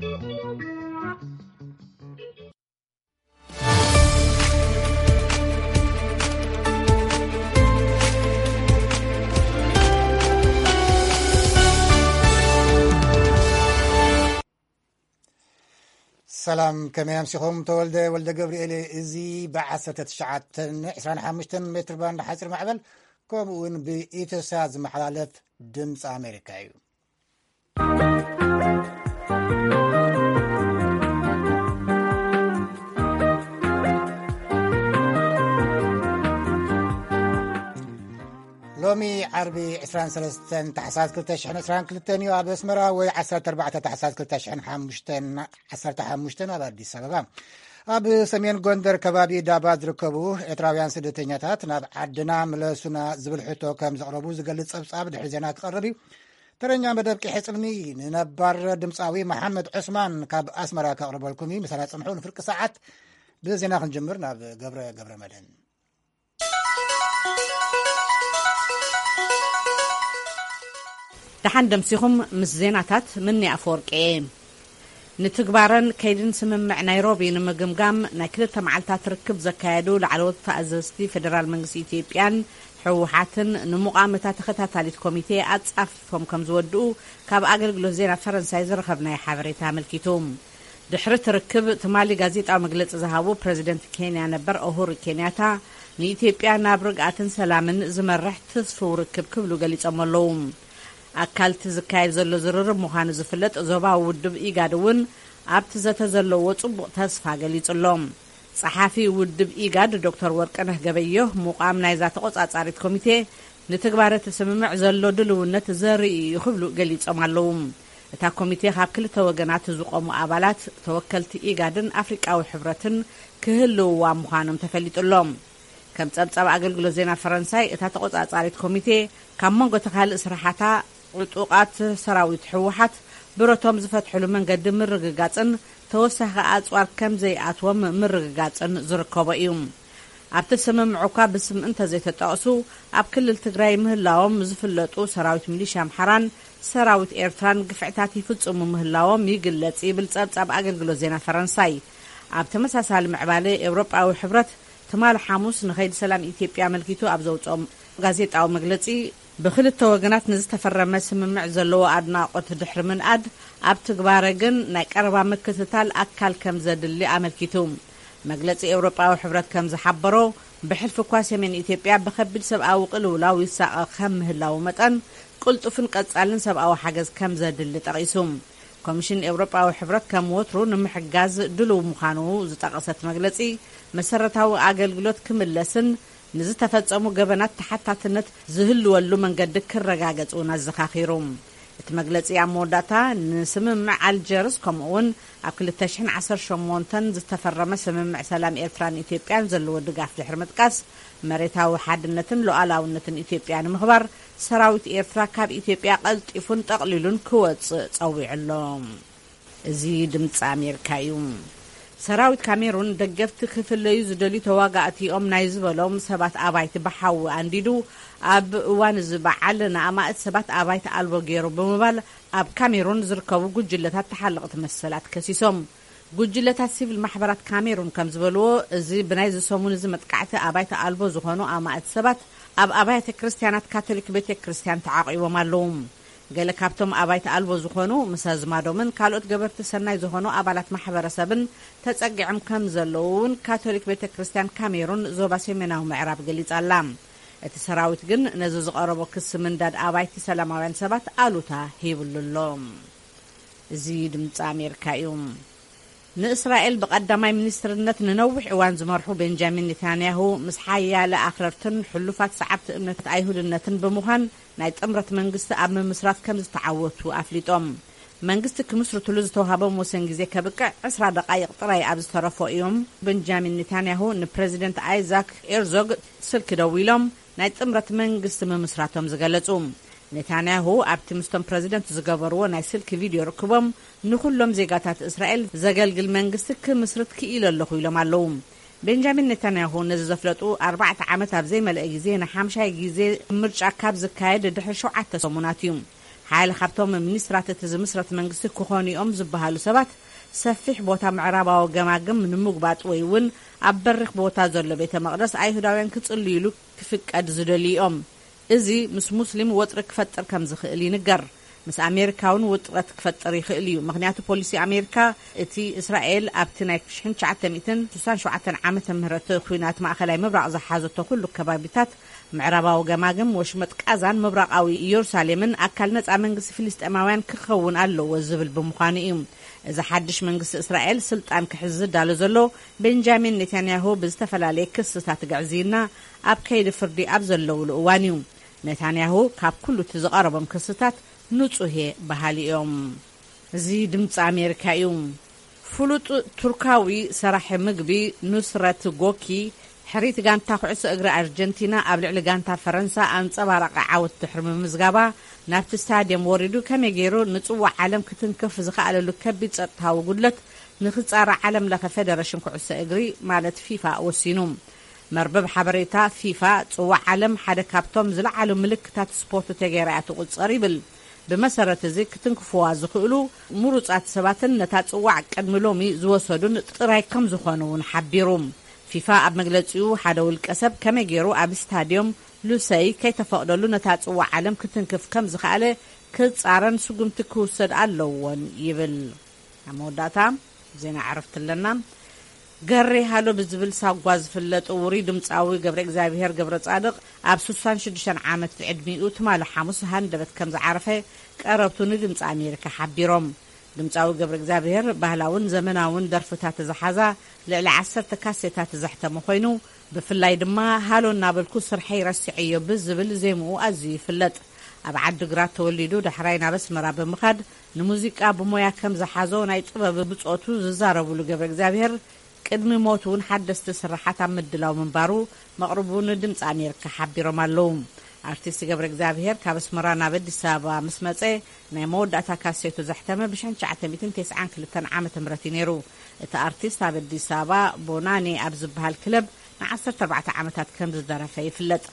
ሰላም፣ ከመይ ኣምሲኹም? ተወልደ ወልደ ገብርኤል። እዚ ብ19 25 ሜትር ባንድ ሓፂር ማዕበል፣ ከምኡ እውን ብኢትዮሳት ዝመሓላለፍ ድምፂ ኣሜሪካ እዩ። ሎሚ ዓርቢ 23 ታሕሳስ 2022 እዩ። ኣብ ኣስመራ ወይ 14 ታሕሳስ 2015፣ ኣብ ኣዲስ ኣበባ። ኣብ ሰሜን ጎንደር ከባቢ ዳባት ዝርከቡ ኤርትራውያን ስደተኛታት ናብ ዓድና ምለሱና ዝብል ሕቶ ከም ዘቕረቡ ዝገልጽ ጸብጻብ ድሕሪ ዜና ክቐርብ እዩ። ተረኛ መደብ ቂሐ ጽልሚ ንነባር ድምጻዊ መሓመድ ዑስማን ካብ ኣስመራ ከቕርበልኩም እዩ። ምሳና ጽንሑ። ንፍርቂ ሰዓት ብዜና ክንጅምር ናብ ገብረ፣ ገብረ መድህን። ደሓን ደምሲኹም። ምስ ዜናታት ምኒ ኣፈወርቂ እየ። ንትግባረን ከይድን ስምምዕ ናይሮቢ ንምግምጋም ናይ ክልተ መዓልታት ርክብ ዘካየዱ ላዕለዎት ተኣዘዝቲ ፌደራል መንግስቲ ኢትዮጵያን ህወሓትን ንሙቓም እታ ተኸታታሊት ኮሚቴ ኣጻፊፎም ከም ዝወድኡ ካብ ኣገልግሎት ዜና ፈረንሳይ ዝረኸብናዮ ሓበሬታ ኣመልኪቱ። ድሕሪ እቲ ርክብ ትማሊ ጋዜጣዊ መግለጺ ዝሃቡ ፕረዚደንት ኬንያ ነበር ኡሁሩ ኬንያታ፣ ንኢትዮጵያ ናብ ርግኣትን ሰላምን ዝመርሕ ተስፍው ርክብ ክብሉ ገሊጾም ኣለዉ። ኣካል እቲ ዝካየድ ዘሎ ዝርርብ ምዃኑ ዝፍለጥ ዞባዊ ውድብ ኢጋድ እውን ኣብቲ ዘተ ዘለዎ ጽቡቕ ተስፋ ገሊጹ ኣሎ። ጸሓፊ ውድብ ኢጋድ ዶክተር ወርቅነህ ገበዮህ፣ ምቋም ናይዛ ተቖጻጻሪት ኮሚቴ ንትግባረ እቲ ስምምዕ ዘሎ ድልውነት ዘርኢ እዩ ክብሉ ገሊጾም ኣለዉ። እታ ኮሚቴ ካብ ክልተ ወገናት ዝቖሙ ኣባላት፣ ተወከልቲ ኢጋድን ኣፍሪቃዊ ሕብረትን ክህልውዋ ምዃኖም ተፈሊጡ ኣሎ። ከም ጸብጻብ ኣገልግሎት ዜና ፈረንሳይ፣ እታ ተቖጻጻሪት ኮሚቴ ካብ መንጎ እቲ ካልእ ስራሓታ፣ ዕጡቓት ሰራዊት ህወሓት ብረቶም ዝፈትሕሉ መንገዲ ምርግጋጽን ተወሳኺ ኣጽዋር ከም ዘይኣትዎም ምርግጋጽን ዝርከቦ እዩ። ኣብቲ ስምምዕ እኳ ብስም እንተዘይተጠቕሱ፣ ኣብ ክልል ትግራይ ምህላዎም ዝፍለጡ ሰራዊት ሚሊሻ ኣምሓራን ሰራዊት ኤርትራን ግፍዕታት ይፍጽሙ ምህላዎም ይግለጽ ይብል ጸብጻብ ኣገልግሎት ዜና ፈረንሳይ። ኣብ ተመሳሳሊ ምዕባለ፣ ኤውሮጳዊ ሕብረት ትማሊ ሓሙስ ንኸይዲ ሰላም ኢትዮጵያ ኣመልኪቱ ኣብ ዘውጽኦም ጋዜጣዊ መግለጺ፣ ብክልተ ወገናት ንዝተፈረመ ስምምዕ ዘለዎ ኣድናቖት ድሕሪ ምንኣድ፣ ኣብ ትግባረ ግን ናይ ቀረባ ምክትታል ኣካል ከም ዘድሊ ኣመልኪቱ። መግለጺ ኤውሮጳዊ ሕብረት ከም ዝሓበሮ፣ ብሕልፊ እኳ ሰሜን ኢትዮጵያ ብኸቢድ ሰብኣዊ ቅልውላው ይሳቐ ከም ምህላዉ መጠን፣ ቅልጡፍን ቀጻልን ሰብኣዊ ሓገዝ ከም ዘድሊ ጠቒሱ። ኮሚሽን ኤውሮጳዊ ሕብረት ከም ወትሩ ንምሕጋዝ ድሉው ምዃኑ ዝጠቐሰት መግለጺ፣ መሰረታዊ ኣገልግሎት ክምለስን ንዝተፈጸሙ ገበናት ተሓታትነት ዝህልወሉ መንገዲ ክረጋገጽ እውን ኣዘኻኺሩ። እቲ መግለጺ ኣብ መወዳእታ፣ ንስምምዕ ኣልጀርስ ከምኡ እውን ኣብ 2018 ዝተፈረመ ስምምዕ ሰላም ኤርትራን ኢትዮጵያን ዘለዎ ድጋፍ ድሕሪ ምጥቃስ፣ መሬታዊ ሓድነትን ሉዓላውነትን ኢትዮጵያ ንምኽባር ሰራዊት ኤርትራ ካብ ኢትዮጵያ ቀልጢፉን ጠቕሊሉን ክወጽእ ጸዊዑ ኣሎ። እዚ ድምፂ ኣሜሪካ እዩ። ሰራዊት ካሜሩን ደገፍቲ ክፍለዩ ዝደልዩ ተዋጋእቲ እዮም ናይ ዝበሎም ሰባት ኣባይቲ ብሓዊ ኣንዲዱ፣ ኣብ እዋን እዚ በዓል ንኣማእት ሰባት ኣባይቲ ኣልቦ ገይሩ ብምባል ኣብ ካሜሩን ዝርከቡ ጉጅለታት ተሓለቕቲ መሰላት ከሲሶም። ጉጅለታት ሲቪል ማሕበራት ካሜሩን ከም ዝበልዎ፣ እዚ ብናይዚ ሰሙን እዚ መጥቃዕቲ ኣባይቲ ኣልቦ ዝኾኑ ኣማእት ሰባት ኣብ ኣብያተ ክርስቲያናት ካቶሊክ ቤተ ክርስቲያን ተዓቒቦም ኣለዉ። ገለ ካብቶም ኣባይቲ ኣልቦ ዝኾኑ፣ ምስ ኣዝማዶምን ካልኦት ገበርቲ ሰናይ ዝኾኑ ኣባላት ማሕበረሰብን ተጸጊዖም ከም ዘለዉ እውን ካቶሊክ ቤተ ክርስቲያን ካሜሩን ዞባ ሰሜናዊ ምዕራብ ገሊጻ ኣላ። እቲ ሰራዊት ግን ነዚ ዝቐረቦ ክሲ ምንዳድ ኣባይቲ ሰላማውያን ሰባት ኣሉታ ሂብሉ ኣሎ። እዚ ድምፂ ኣሜሪካ እዩ። ንእስራኤል ብቐዳማይ ሚኒስትርነት ንነዊሕ እዋን ዝመርሑ ቤንጃሚን ኔታንያሁ፣ ምስ ሓያለ ኣኽረርትን ሕሉፋት ሰዓብቲ እምነት ኣይሁድነትን ብምዃን ናይ ጥምረት መንግስቲ ኣብ ምምስራት ከም ዝተዓወቱ ኣፍሊጦም። መንግስቲ ክምስርትሉ ዝተውሃቦም ወሰን ግዜ ከብቅዕ ዕስራ ደቓይቕ ጥራይ ኣብ ዝተረፎ እዮም ቤንጃሚን ኔታንያሁ ንፕረዚደንት ኣይዛክ ኤርዞግ ስልኪ ደዊሎም ናይ ጥምረት መንግስቲ ምምስራቶም ዝገለጹ። ኔታንያሁ ኣብቲ ምስቶም ፕረዚደንት ዝገበርዎ ናይ ስልኪ ቪድዮ ርክቦም፣ ንኹሎም ዜጋታት እስራኤል ዘገልግል መንግስቲ ክምስርት ክኢለ ኣለኹ ኢሎም ኣለዉ። ቤንጃሚን ኔታንያሁ ነዚ ዘፍለጡ ኣርባዕተ ዓመት ኣብ ዘይመልአ ግዜ ንሓምሻይ ግዜ ምርጫ ካብ ዝካየድ ድሕሪ ሸውዓተ ሰሙናት እዩ። ሓደ ካብቶም ሚኒስትራት እቲ ዝምስረት መንግስቲ ክኾኑ እዮም ዝበሃሉ ሰባት፣ ሰፊሕ ቦታ ምዕራባዊ ገማግም ንምጉባጥ ወይ እውን ኣብ በሪኽ ቦታ ዘሎ ቤተ መቕደስ ኣይሁዳውያን ክጽልዩሉ ክፍቀድ ዝደልዩ እዮም። እዚ ምስ ሙስሊም ወጥሪ ክፈጥር ከም ዝኽእል ይንገር። ምስ ኣሜሪካ እውን ውጥረት ክፈጥር ይኽእል እዩ። ምኽንያቱ ፖሊሲ ኣሜሪካ፣ እቲ እስራኤል ኣብቲ ናይ ሽሕን ትሽዓተ ሚእትን ስሳን ሸውዓተን ዓመተ ምህረት ኲናት ማእኸላይ ምብራቕ ዝሓዘቶ ኩሉ ከባቢታት፣ ምዕራባዊ ገማግም፣ ወሽመጥ ቃዛን ምብራቓዊ ኢየሩሳሌምን ኣካል ነጻ መንግስቲ ፍልስጤማውያን ክኸውን ኣለዎ ዝብል ብምዃኑ እዩ። እዚ ሓድሽ መንግስቲ እስራኤል ስልጣን ክሕዝ ዝዳሎ ዘሎ፣ ቤንጃሚን ኔታንያሁ ብዝተፈላለየ ክስታት ግዕዝይና ኣብ ከይዲ ፍርዲ ኣብ ዘለውሉ እዋን እዩ። ኔታንያሁ ካብ ኩሉ እቲ ዝቐረቦም ክስታት ንጹህ እየ በሃሊ እዮም። እዚ ድምፂ ኣሜሪካ እዩ። ፍሉጥ ቱርካዊ ሰራሒ ምግቢ ኑስረት ጎኪ፣ ሕሪት ጋንታ ኩዕሶ እግሪ ኣርጀንቲና ኣብ ልዕሊ ጋንታ ፈረንሳ ኣንጸባራቒ ዓወት ድሕሪ ምምዝጋባ፣ ናብቲ ስታድየም ወሪዱ ከመይ ገይሩ ንጽዋዕ ዓለም ክትንክፍ ዝኸኣለሉ ከቢድ ጸጥታዊ ጉድለት ንኽጻረ ዓለም ለኸ ፌደረሽን ኩዕሶ እግሪ ማለት ፊፋ ወሲኑ። መርበብ ሓበሬታ ፊፋ፣ ጽዋዕ ዓለም ሓደ ካብቶም ዝለዓሉ ምልክታት ስፖርት ተገይራ እያ ትቑጸር ይብል። ብመሰረት እዚ ክትንክፍዋ ዝኽእሉ ምሩጻት ሰባትን ነታ ጽዋዕ ቅድሚ ሎሚ ዝወሰዱን ጥራይ ከም ዝኾኑ እውን ሓቢሩ። ፊፋ ኣብ መግለጺኡ፣ ሓደ ውልቀ ሰብ ከመይ ገይሩ ኣብ ስታድዮም ሉሰይ ከይተፈቕደሉ ነታ ጽዋዕ ዓለም ክትንክፍ ከም ዝኸኣለ ክጻረን ስጉምቲ ክውሰድ ኣለዎን ይብል። ኣብ መወዳእታ ዜና ዕረፍቲ ኣለና። ገሬ ሃሎ ብዝብል ሳጓ ዝፍለጥ ውሩይ ድምፃዊ ገብረ እግዚኣብሔር ገብረ ጻድቕ ኣብ ስሳን ሽዱሽተን ዓመት ዕድሚኡ ትማሊ ሓሙስ ሃንደበት ከም ዝዓረፈ ቀረብቱ ንድምፂ ኣሜሪካ ሓቢሮም። ድምፃዊ ገብረ እግዚኣብሔር ባህላውን ዘመናውን ደርፍታት ዝሓዛ ልዕሊ ዓሰርተ ካሴታት ዘሕተመ ኮይኑ፣ ብፍላይ ድማ ሃሎ እናበልኩ ስርሐይ ረሲዐዮ ብዝብል ዜምኡ ኣዝዩ ይፍለጥ። ኣብ ዓዲግራት ተወሊዱ ዳሕራይ ናብ ኣስመራ ብምኻድ ንሙዚቃ ብሞያ ከም ዝሓዞ ናይ ጥበብ ብጾቱ ዝዛረብሉ ገብረ እግዚኣብሔር፣ ቅድሚ ሞቱ እውን ሓደስቲ ስርሓት ኣብ ምድላው ምንባሩ መቕርቡ ንድምፂ ኣሜሪካ ሓቢሮም ኣለዉ። ኣርቲስት ገብረ እግዚኣብሔር ካብ ኣስመራ ናብ ኣዲስ ኣበባ ምስ መጸ ናይ መወዳእታ ካሴቱ ዘሕተመ ብሽሕን ትሽዓተ ሚእትን ተስዓን ክልተን ዓመተ ምህረት እዩ ነይሩ። እቲ ኣርቲስት ኣብ ኣዲስ ኣበባ ቦናኔ ኣብ ዝበሃል ክለብ ንዓሰርተ ኣርባዕተ ዓመታት ከም ዝደረፈ ይፍለጥ።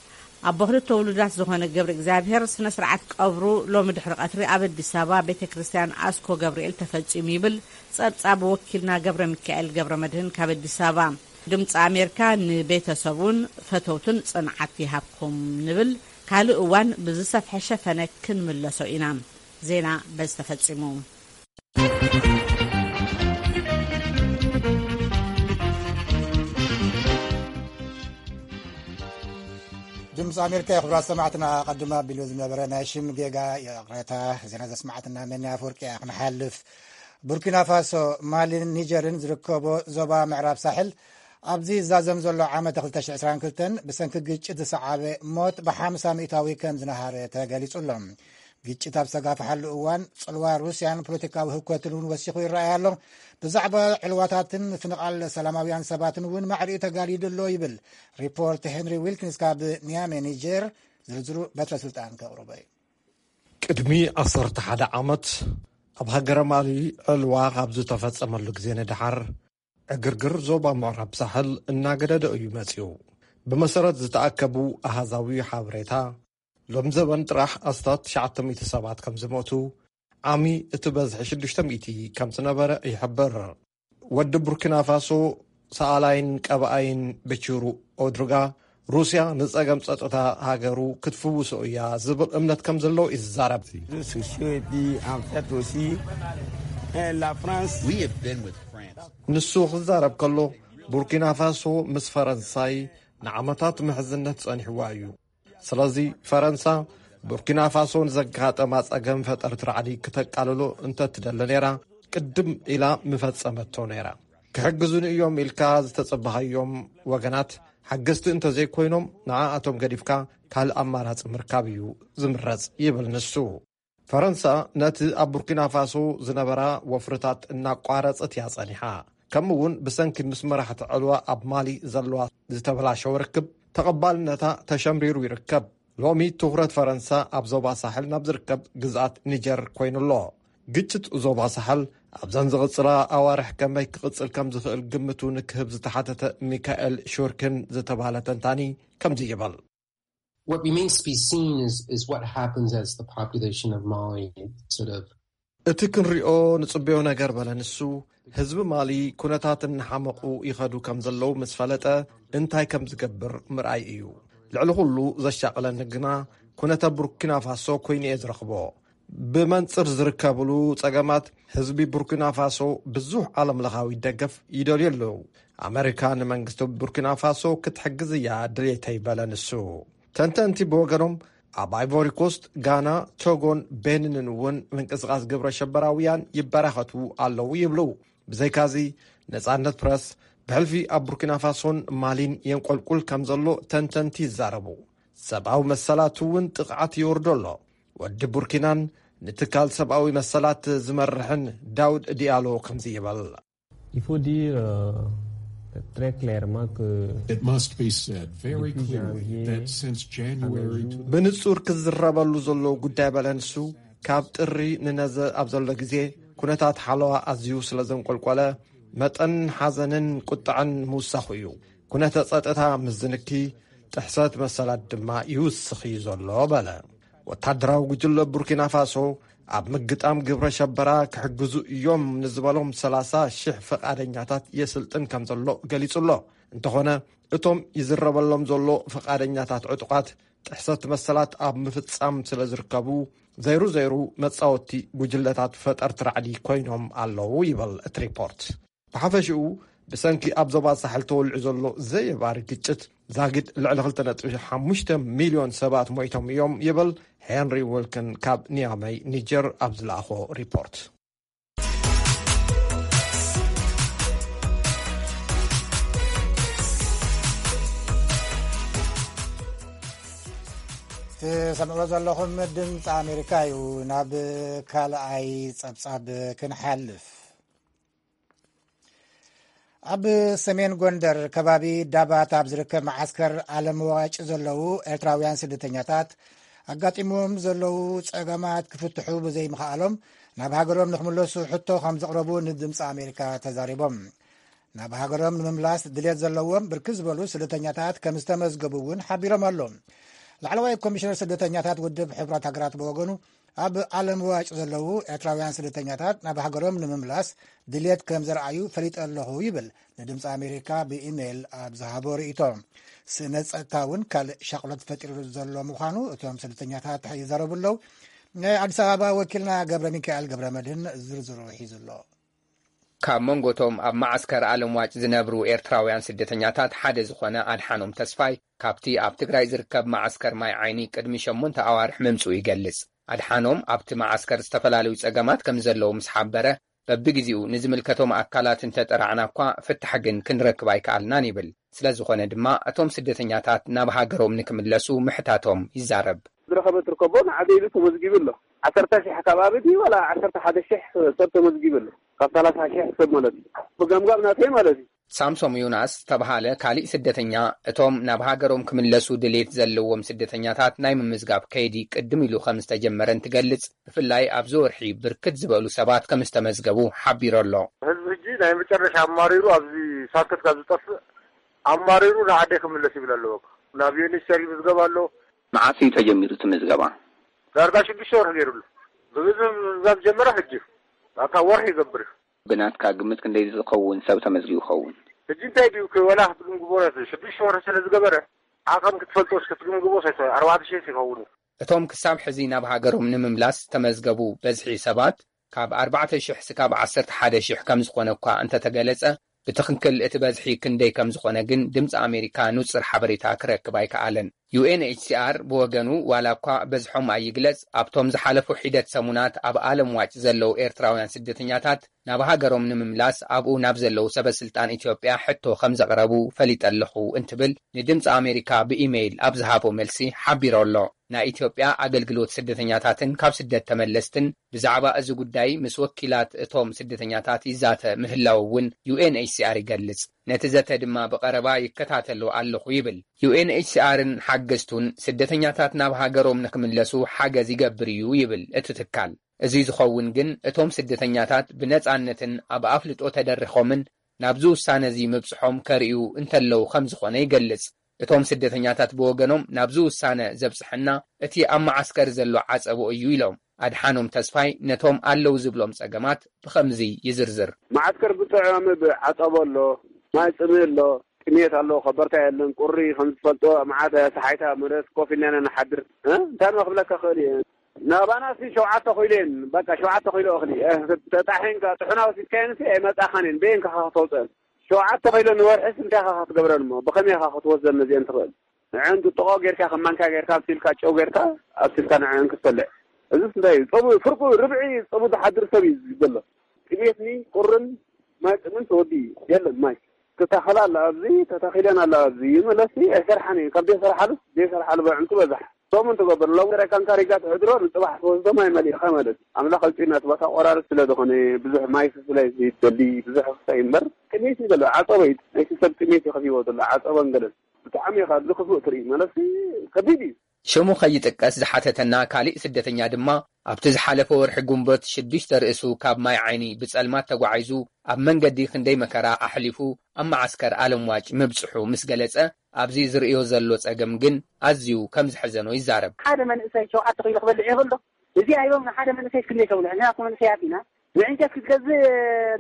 ኣቦ ክልተ ውሉዳት ዝኾነ ገብረ እግዚኣብሔር ስነ ስርዓት ቀብሩ ሎሚ ድሕሪ ቀትሪ ኣብ ኣዲስ ኣበባ ቤተ ክርስቲያን ኣስኮ ገብርኤል ተፈጺሙ ይብል ጸብጻብ ወኪልና ገብረ ሚካኤል ገብረ መድህን ካብ ኣዲስ ኣበባ። ድምፂ ኣሜሪካ ንቤተሰቡን ፈተውትን ጽንዓት ይሃብኩም ንብል። ካልእ እዋን ብዝሰፍሐ ሸፈነ ክንምለሶ ኢና። ዜና በዚ ተፈጺሙ። ድምፂ ኣሜሪካ እዩ። ክቡራት ሰማዕትና፣ ኣቐድም ኣቢሉ ዝነበረ ናይ ሽም ጌጋ ይቕሬታ። ዜና ዘስማዕትና መኒ ኣፈወርቂ እያ። ክንሓልፍ፣ ቡርኪና ፋሶ፣ ማሊን ኒጀርን ዝርከቦ ዞባ ምዕራብ ሳሕል፣ ኣብዚ ዝዛዘም ዘሎ ዓመት ክልተ ሽሕን ዕስራን ክልተን ብሰንኪ ግጭት ዝሰዓበ ሞት ብሓምሳ ሚእታዊ ከም ዝነሃረ ተገሊጹ ኣሎ። ግጭት ኣብ ዝተጋፍሓሉ እዋን፣ ጽልዋ ሩስያን ፖለቲካዊ ህውከትን እውን ወሲኹ ይረኣይ ኣሎ። ብዛዕባ ዕልዋታትን ምፍንቓል ሰላማውያን ሰባትን እውን ማዕሪኡ ተጋሊዱ ኣሎ ይብል ሪፖርት ሄንሪ ዊልኪንስ ካብ ኒያሜ፣ ኒጀር። ዝርዝሩ በትረ ስልጣን ከቕርቦ እዩ። ቅድሚ ዓሰርተ ሓደ ዓመት ኣብ ሃገረ ማሊ ዕልዋ ካብ ዝተፈጸመሉ ግዜ ንደሓር፣ ዕግርግር ዞባ ምዕራብ ሳሕል እናገደደ እዩ መጺኡ። ብመሰረት ዝተኣከቡ ኣሃዛዊ ሓበሬታ፣ ሎም ዘበን ጥራሕ ኣስታት ትሽዓተ ሚእቲ ሰባት ከም ዝሞቱ፣ ዓሚ እቲ በዝሒ ሽዱሽተ ሚእቲ ከም ዝነበረ ይሕብር። ወዲ ቡርኪና ፋሶ ሰኣላይን ቀባኣይን በቺሩ ኦድርጋ፣ ሩስያ ንጸገም ጸጥታ ሃገሩ ክትፍውሶ እያ ዝብል እምነት ከም ዘለዎ እዩ ዝዛረብ። Réseaux sociaux et puis en fait aussi, euh, la France. We have been with France. ንሱ ክዛረብ ከሎ፣ ቡርኪና ፋሶ ምስ ፈረንሳይ ንዓመታት ምሕዝነት ጸኒሕዋ እዩ። ስለዚ ፈረንሳ ቡርኪና ፋሶ ንዘጋጠማ ጸገም ፈጠርቲ ራዕዲ ክተቃልሎ እንተትደሊ ነይራ፣ ቅድም ኢላ ምፈጸመቶ ነይራ። ክሕግዙኒ እዮም ኢልካ ዝተጸበኻዮም ወገናት ሓገዝቲ እንተዘይኮይኖም፣ ንዓኣቶም ገዲፍካ ካልእ ኣማራጺ ምርካብ እዩ ዝምረጽ ይብል ንሱ። ፈረንሳ ነቲ ኣብ ቡርኪና ፋሶ ዝነበራ ወፍርታት እናቋረጸት እያ ጸኒሓ። ከምኡ እውን ብሰንኪ ምስ መራሕቲ ዕልዋ ኣብ ማሊ ዘለዋ ዝተበላሸወ ርክብ ተቐባልነታ ተሸምሪሩ ይርከብ። ሎሚ ትኹረት ፈረንሳ ኣብ ዞባ ሳሕል ናብ ዝርከብ ግዝኣት ኒጀር ኮይኑ ኣሎ። ግጭት ዞባ ሳሕል ኣብዘን ዝቕጽላ ኣዋርሕ ከመይ ክቕጽል ከም ዝኽእል ግምቱ ንክህብ ዝተሓተተ ሚካኤል ሹርክን ዝተባህለ ተንታኒ ከምዚ ይብል። What remains to be seen is, is what happens as the population of Mali sort of እቲ ክንሪኦ ንጽበዮ ነገር በለ ንሱ፣ ህዝቢ ማሊ ኩነታት እናሓመቑ ይኸዱ ከም ዘለዉ ምስ ፈለጠ እንታይ ከም ዝገብር ምርኣይ እዩ። ልዕሊ ኩሉ ዘሻቕለኒ ግና ኩነተ ቡርኪና ፋሶ ኮይኑ እየ ዝረኽቦ። ብመንጽር ዝርከብሉ ጸገማት ህዝቢ ቡርኪና ፋሶ ብዙሕ ዓለም ለኻዊ ደገፍ ይደልዩ ኣለዉ። ኣመሪካ ንመንግስቲ ቡርኪና ፋሶ ክትሕግዝ እያ ድሌተይ በለ ንሱ። ተንተንቲ ብወገኖም ኣብ ኣይቮሪ ኮስት፣ ጋና፣ ቶጎን ቤኒንን እውን ምንቅስቃስ ግብረ ሸበራውያን ይበራኸቱ ኣለዉ ይብሉ። ብዘይካዚ ነጻነት ፕረስ ብሕልፊ ኣብ ቡርኪና ፋሶን ማሊን የንቆልቁል ከም ዘሎ ተንተንቲ ይዛረቡ። ሰብኣዊ መሰላት እውን ጥቕዓት ይወርዶ ኣሎ። ወዲ ቡርኪናን ንትካል ሰብኣዊ መሰላት ዝመርሕን ዳውድ ዲያሎ ከምዚ ይበል። Il faut dire euh, très clairement que It must be said very clearly that since January to ብንጹር ክዝረበሉ ዘለዎ ጉዳይ በለ ንሱ፣ ካብ ጥሪ ንነዘ ኣብ ዘሎ ግዜ ኩነታት ሓለዋ ኣዝዩ ስለ ዘንቆልቆለ መጠን ሓዘንን ቁጥዐን ምውሳኹ እዩ። ኩነተ ጸጥታ ምስ ዝንኪ ጥሕሰት መሰላት ድማ ይውስኽ እዩ ዘሎ በለ። ወታደራዊ ጉጅለ ቡርኪና ፋሶ ኣብ ምግጣም ግብረ ሸበራ ክሕግዙ እዮም ንዝበሎም ሰላሳ ሽሕ ፈቓደኛታት የስልጥን ከም ዘሎ ገሊጹ ኣሎ። እንተኾነ እቶም ይዝረበሎም ዘሎ ፈቓደኛታት ዕጡቓት ጥሕሰት መሰላት ኣብ ምፍጻም ስለ ዝርከቡ ዘይሩ ዘይሩ መጻወቲ ጉጅለታት ፈጠርቲ ራዕዲ ኮይኖም ኣለዉ ይበል እቲ ሪፖርት። ብሓፈሽኡ ብሰንኪ ኣብ ዞባ ሳሕል ተወልዑ ዘሎ ዘየባሪ ግጭት ዛጊድ ልዕሊ ክልተ ነጥቢ ሓሙሽተ ሚልዮን ሰባት ሞይቶም እዮም ይብል ሄንሪ ወልክን ካብ ኒያመይ ኒጀር ኣብ ዝለኣኾ ሪፖርት። ትሰምዕዎ ዘለኹም ድምፂ ኣሜሪካ እዩ። ናብ ካልኣይ ፀብፃብ ክንሓልፍ፣ ኣብ ሰሜን ጎንደር ከባቢ ዳባት ኣብ ዝርከብ መዓስከር ኣለምዋጭ ዘለዉ ኤርትራውያን ስደተኛታት ኣጋጢሞም ዘለዉ ጸገማት ክፍትሑ ብዘይምኽኣሎም ናብ ሃገሮም ንክምለሱ ሕቶ ከም ዘቕረቡ ንድምፂ ኣሜሪካ ተዛሪቦም። ናብ ሃገሮም ንምምላስ ድሌት ዘለዎም ብርክት ዝበሉ ስደተኛታት ከም ዝተመዝገቡ እውን ሓቢሮም ኣለዉ። ላዕለዋይ ኮሚሽነር ስደተኛታት ውድብ ሕቡራት ሃገራት ብወገኑ ኣብ ዓለም ዋጭ ዘለዉ ኤርትራውያን ስደተኛታት ናብ ሃገሮም ንምምላስ ድሌት ከም ዘርኣዩ ፈሊጠ ኣለኹ ይብል ንድምፂ ኣሜሪካ ብኢሜይል ኣብ ዝሃቦ ርእይቶ። ስእነት ጸጥታ እውን ካልእ ሻቕሎት ፈጢሩ ዘሎ ምዃኑ እቶም ስደተኛታት ይዛረቡ ኣለዉ። ናይ ኣዲስ ኣበባ ወኪልና ገብረ ሚካኤል ገብረ መድህን ዝርዝሩ ሒዙ ኣሎ። ካብ መንጎቶም ኣብ መዓስከር ኣለምዋጭ ዝነብሩ ኤርትራውያን ስደተኛታት ሓደ ዝኾነ ኣድሓኖም ተስፋይ ካብቲ ኣብ ትግራይ ዝርከብ መዓስከር ማይ ዓይኒ ቅድሚ ሸሞንተ ኣዋርሕ ምምፅኡ ይገልጽ። ኣድሓኖም ኣብቲ መዓስከር ዝተፈላለዩ ጸገማት ከም ዘለዉ ምስ ሓበረ በብግዜኡ ንዝምልከቶም ኣካላት እንተጠራዕና እኳ ፍታሕ ግን ክንረክብ ኣይከኣልናን ይብል። ስለ ዝኾነ ድማ እቶም ስደተኛታት ናብ ሃገሮም ንክምለሱ ምሕታቶም ይዛረብ። ዝረኸበ ትርከቦ ንዓደ ኢሉ ተመዝጊቡ ኣሎ። ዓሰርተ ሺሕ ከባቢ ድዩ ዋላ ዓሰርተ ሓደ ሺሕ ሰብ ተመዝጊቡ ኣሎ። ካብ ሰላሳ ሺሕ ሰብ ማለት እዩ። ብገምጋም ናተይ ማለት እዩ። ሳምሶም ዮናስ ዝተብሃለ ካሊእ ስደተኛ እቶም ናብ ሃገሮም ክምለሱ ድሌት ዘለዎም ስደተኛታት ናይ ምምዝጋብ ከይዲ ቅድም ኢሉ ከም ዝተጀመረ እንትገልጽ፣ ብፍላይ ኣብዚ ወርሒ ብርክት ዝበሉ ሰባት ከም ዝተመዝገቡ ሓቢሩ ኣሎ። ህዝቢ ሕጂ ናይ መጨረሻ ኣማሪሩ ኣብዚ ሳክት ካብ ዝጠፍእ ኣማሪሩ ንዓደይ ክምለስ ይብል ኣለዎ። ናብ ዩኤንኤችሲኣር ይምዝገብ ኣሎ። መዓስ እዩ ተጀሚሩ እቲ ምዝገባ? ዳርጋ ሽዱሽተ ወርሒ ገይሩ ኣሎ። ብብዝሒ ምምዝጋብ ዝጀመረ ሕጂ እዩ። ኣታ ወርሒ ይገብር እዩ። ብናትካ ግምት ክንደይ ዝኸውን ሰብ ተመዝጊቡ ይኸውን? ሕጂ እንታይ ድዩ ዋላ ክትግምግሞ ሽዱሽተ ወርሒ ስለ ዝገበረ ዓቐን ክትፈልጦስ ክትግምግሞ ኣርባዕተ ሽሕ ይኸውን እዩ። እቶም ክሳብ ሕዚ ናብ ሃገሮም ንምምላስ ዝተመዝገቡ በዝሒ ሰባት ካብ ኣርባዕተ ሽሕ ስካብ ዓሰርተ ሓደ ሽሕ ከም ዝኾነ እኳ እንተተገለጸ፣ ብትኽክል እቲ በዝሒ ክንደይ ከም ዝኾነ ግን ድምፂ ኣሜሪካ ንጹር ሓበሬታ ክረክብ ኣይከኣለን። ዩኤንኤችሲኣር ብወገኑ ዋላ እኳ በዝሖም ኣይግለጽ፣ ኣብቶም ዝሓለፉ ሒደት ሰሙናት ኣብ ኣለም ዋጭ ዘለዉ ኤርትራውያን ስደተኛታት ናብ ሃገሮም ንምምላስ ኣብኡ ናብ ዘለዉ ሰበ ስልጣን ኢትዮጵያ ሕቶ ከም ዘቕረቡ ፈሊጠ ኣለኹ እንትብል ንድምፂ ኣሜሪካ ብኢሜይል ኣብ ዝሃቦ መልሲ ሓቢሩ ኣሎ። ናይ ኢትዮጵያ ኣገልግሎት ስደተኛታትን ካብ ስደት ተመለስትን ብዛዕባ እዚ ጉዳይ ምስ ወኪላት እቶም ስደተኛታት ይዛተ ምህላው እውን ዩኤንኤችሲኣር ይገልጽ። ነቲ ዘተ ድማ ብቐረባ ይከታተሎ ኣለኹ ይብል። ዩኤንኤችሲኣርን ሓገዝቱን ስደተኛታት ናብ ሃገሮም ንክምለሱ ሓገዝ ይገብር እዩ ይብል እቲ ትካል። እዚ ዝኸውን ግን እቶም ስደተኛታት ብነጻነትን ኣብ ኣፍልጦ ተደሪኾምን ናብዚ ውሳነ እዚ ምብጽሖም ከርእዩ እንተለዉ ከም ዝኾነ ይገልጽ። እቶም ስደተኛታት ብወገኖም ናብዚ ውሳነ ዘብጽሐና እቲ ኣብ መዓስከር ዘሎ ዓጸቦ እዩ ኢሎም። ኣድሓኖም ተስፋይ ነቶም ኣለዉ ዝብሎም ጸገማት ብኸምዚ ይዝርዝር። መዓስከር ብጥዑም ዓጸቦ ኣሎ፣ ማይ ጽምእ ኣሎ፣ ጥሜት ኣሎ፣ ከበርታ የለን፣ ቁሪ ከም ዝፈልጦ መዓት ሰሓይታ መለስ ኮፍ ኢልና ኢና ንሓድር። እ? እንታይ ዶ ክብለካ ክእል እየ? ናባና ሲ ሸውዓተ ኮይሎ እየን፣ በቃ ሸውዓተ ኮይሎ እኽሊ። እ፣ ተጣሒንካ ጥሑና ወሲድካየን ሲ ኣይመጻኻን እየን፣ በየን ከኻ ከተውፅአን? ሸውዓተ ኮይሎ ንወርሒ ሲ እንታይ ኢኻ ክትገብረን እሞ? ብኸመይ ኢኻ ክትወስደን ነዚአን ትኽእል? ንዕን ጥጥቖ ጌርካ፣ ከም ማንካ ጌርካ፣ ኣብሲልካ፣ ጨው ጌርካ፣ ኣብሲልካ ንዕን ክትበልዕ። እዚስ እንታይ እዩ? ጸቡ፣ ፍርቁ፣ ርብዒ ጸቡ ዝሓድር ሰብ እዩ ዘሎ። ጥሜትኒ፣ ቁርን፣ ማይ ጥምን ተወዲ እዩ። የለን ማይ። ተታኸላ ኣላ ኣብዚ፣ ተታኺለን ኣላ ኣብዚ። ይመለሲ ኣይሰርሓን እዩ። ካብ ዘይሰርሓሉ፣ ዘይሰርሓሉ በዕንቱ በዛሕ። ቶም እንትገብር፣ ሎም ገረካን ካሪጋ ትሕድሮ፣ ንጽባሕ ትወስዶ ማይ መሊእኻ ማለት እዩ። ኣምላኽ ኣውጺእና፣ እቲ ቦታ ቆራርብ ስለ ዝኾነ፣ ብዙሕ ማይ ስለ ዝደሊ፣ ብዙሕ ክሳይ እምበር፣ ጥሜት እዩ ዘሎ። ዓጸቦ እዩ። ናይቲ ሰብ ጥሜት እዩ ከፊዎ ዘሎ። ዓጸቦን ገለን። ብጣዕሚ ኢኻ ኣብዚ ክፉእ ትርኢ። ማለት ከቢድ እዩ። ሽሙ ከይጥቀስ ዝሓተተና ካሊእ ስደተኛ ድማ፣ ኣብቲ ዝሓለፈ ወርሒ ጉንበት ሽዱሽተ ርእሱ ካብ ማይ ዓይኒ ብጸልማት ተጓዒዙ ኣብ መንገዲ ክንደይ መከራ ኣሕሊፉ ኣብ መዓስከር ኣለምዋጭ ምብጽሑ ምስ ገለጸ፣ ኣብዚ ዝርእዮ ዘሎ ጸገም ግን ኣዝዩ ከም ዝሐዘኖ ይዛረብ። ሓደ መንእሰይ ሸውዓተ ኪሎ ክበልዕ ይኽእል ዶ? እዚ ኣይቦም ንሓደ መንእሰይ ክንደይ ከብልዕ? ንሕና እኮ መንእሰያት ኢና። ንዕንጨት ክትገዝእ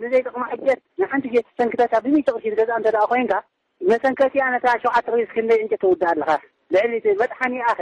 ንዘይጠቕማ ሕጀት ንሓንቲ ጀት ሰንክተታ ብሚእቲ ቅርሺ ትገዝኣ እንተ ደኣ ኮይንካ፣ መሰንከቲኣ ነታ ሸውዓተ ኪሎ ክንደይ ዕንጨት ተውድእ ኣለኻ? ልዕሊ እቲ መጥሓኒ ኣኸ?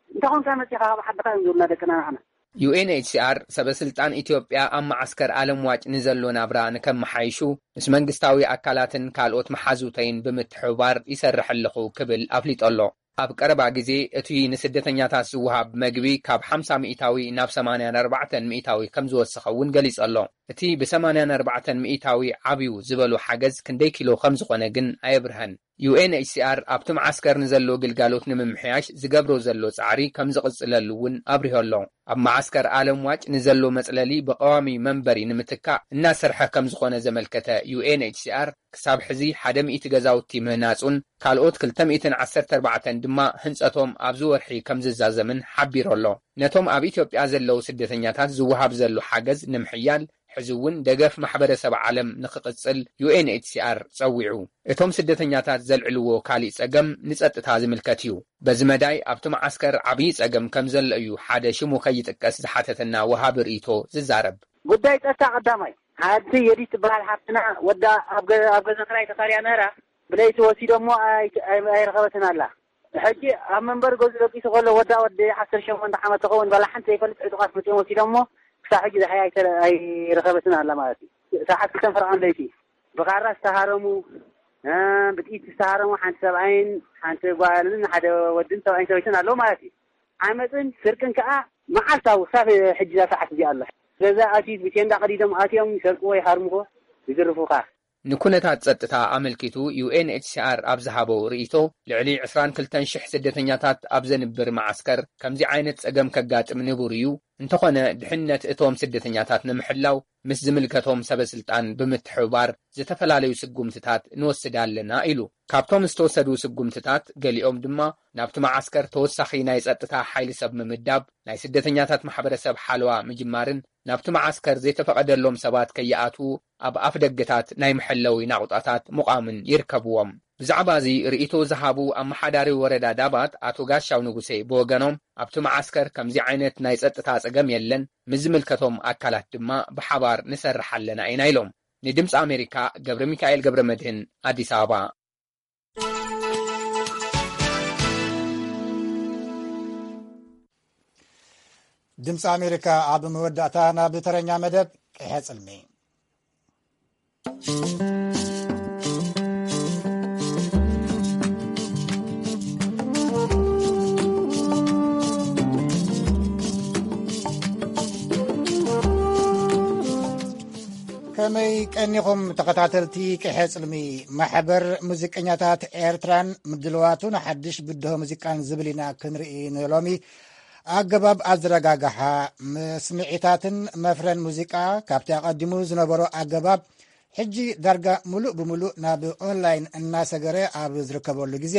እንተ ኾንካ መጺኻ ካብ ዓድኻ እዮም ዝብሉና ደቅና ንዓና። ዩ ኤን ኤች ሲ ኣር ሰበ ስልጣን ኢትዮጵያ ኣብ መዓስከር ኣለምዋጭ ንዘሎ ናብራ ንከመሓይሹ ምስ መንግስታዊ ኣካላትን ካልኦት መሓዙተይን ብምትሕብባር ይሰርሕ ኣለኹ ክብል ኣፍሊጡ ኣሎ። ኣብ ቀረባ ግዜ እቲ ንስደተኛታት ዝወሃብ መግቢ ካብ ሓምሳ ሚእታዊ ናብ ሰማንያን ኣርባዕተን ሚእታዊ ከም ዝወሰኸ እውን ገሊጹ ኣሎ። እቲ ብ ሰማንያን ኣርባዕተን ሚእታዊ ዓብዩ ዝበሎ ሓገዝ ክንደይ ኪሎ ከም ዝኾነ ግን ኣየብርሀን። ዩ ኤን ኤች ሲ ኣር ኣብቲ መዓስከር ንዘሎ ግልጋሎት ንምምሕያሽ ዝገብሮ ዘሎ ጻዕሪ ከም ዝቕጽለሉ እውን ኣብሪሆ ኣሎ። ኣብ መዓስከር ኣለም ዋጭ ንዘሎ መጽለሊ ብቐዋሚ መንበሪ ንምትካእ እናሰርሐ ከም ዝኾነ ዘመልከተ ዩ ኤን ኤች ሲ ኣር፣ ክሳብ ሕዚ ሓደ ሚእቲ ገዛውቲ ምህናጹን ካልኦት ክልተ ሚእትን ዓሰርተ ኣርባዕተን ድማ ህንጸቶም ኣብዚ ወርሒ ከም ዝዛዘምን ሓቢሩ ኣሎ። ነቶም ኣብ ኢትዮጵያ ዘለዉ ስደተኛታት ዝወሃብ ዘሎ ሓገዝ ንምሕያል፣ ሕዚ እውን ደገፍ ማሕበረሰብ ዓለም ንኽቕጽል ዩ ኤን ኤች ሲ ኣር ጸዊዑ። እቶም ስደተኛታት ዘልዕልዎ ካሊእ ጸገም ንጸጥታ ዝምልከት እዩ። በዚ መዳይ ኣብቲ መዓስከር ዓብዪ ጸገም ከም ዘሎ እዩ ሓደ ሽሙ ከይጥቀስ ዝሓተተና ወሃቢ ርእይቶ ዝዛረብ። ጉዳይ ጸጥታ ቀዳማይ። ሓንቲ የዲት ትበሃል ሓፍትና ወዳ ኣብ ገ-፣ ኣብ ገዛ ክራይ ተኻርያ ነራ፣ ብለይቲ ወሲዶሞ ኣይ-፣ ኣይ-፣ ኣይረኸበትን ኣላ። ሕጂ ኣብ መንበሪ ገዝኡ ደቂሱ ከሎ ወዳ ወዲ ዓሰርተ ሸሞንተ ዓመት ትኸውን፣ ባላ ሓንቲ ዘይፈልጥ ዕጡቓት መጺኦም ወሲዶሞ፣ ክሳብ ሕጂ ዝሓይ ኣይተ-፣ ኣይረኸበትን ኣላ ማለት እዩ። ሰዓት ክልተን ፈረቓን ለይቲ ብኻራ ዝተሃረሙ፣ እ፣ ብጥይት ዝተሃረሙ፣ ሓንቲ ሰብኣይን ሓንቲ ጓልን ሓደ ወድን ሰብኣይን ሰበይትን ኣለዉ ማለት እዩ። ዓመፅን ስርቅን ከዓ መዓልታዊ ክሳብ ሕጂ እዛ ሰዓት እዚኣ ኣላ። ገዛ ኣትዩት ብቴንዳ ቀዲዶም ኣትዮም ይሰርቅዎ፣ ይሃርምዎ፣ ይዝርፉኻ። ንኩነታት ጸጥታ ኣመልኪቱ ዩ ኤን ኤች ሲ ኣር ኣብ ዝሃቦ ርእይቶ፣ ልዕሊ ዕስራን ክልተን ሽሕ ስደተኛታት ኣብ ዘንብር መዓስከር ከምዚ ዓይነት ጸገም ከጋጥም ንቡር እዩ፣ እንተኾነ ድሕነት እቶም ስደተኛታት ንምሕላው ምስ ዝምልከቶም ሰበ ስልጣን ብምትሕብባር ዝተፈላለዩ ስጉምትታት ንወስድ ኣለና ኢሉ። ካብቶም ዝተወሰዱ ስጉምትታት ገሊኦም ድማ ናብቲ መዓስከር ተወሳኺ ናይ ጸጥታ ሓይሊ ሰብ ምምዳብ፣ ናይ ስደተኛታት ማሕበረሰብ ሓለዋ ምጅማርን ናብቲ መዓስከር ዘይተፈቐደሎም ሰባት ከይኣትዉ ኣብ ኣፍ ደገታት ናይ መሐለዊ ናቑጣታት ምቋምን ይርከብዎም። ብዛዕባ እዚ ርእይቶ ዝሃቡ ኣመሓዳሪ ወረዳ ዳባት ኣቶ ጋሻው ንጉሴ ብወገኖም፣ ኣብቲ መዓስከር ከምዚ ዓይነት ናይ ጸጥታ ጸገም የለን፣ ምስ ዝምልከቶም ኣካላት ድማ ብሓባር ንሰርሕ ኣለና ኢና ኢሎም። ንድምፂ ኣሜሪካ ገብረ ሚካኤል ገብረ መድህን፣ ኣዲስ ኣበባ። ድምፂ ኣሜሪካ ኣብ መወዳእታ ናብ ተረኛ መደብ ቅሐ ጽልሚ። ከመይ ቀኒኹም ተኸታተልቲ ቅሐ ጽልሚ? ማሕበር ሙዚቀኛታት ኤርትራን ምድልዋቱ ንሓድሽ ብድሆ ሙዚቃን ዝብል ኢና ክንርኢ ንሎሚ። ኣገባብ ኣዘረጋግሓ፣ መስምዒታትን መፍረን ሙዚቃ ካብቲ ኣቐዲሙ ዝነበሮ ኣገባብ ሕጂ ዳርጋ ምሉእ ብምሉእ ናብ ኦንላይን እናሰገረ ኣብ ዝርከበሉ ግዜ፣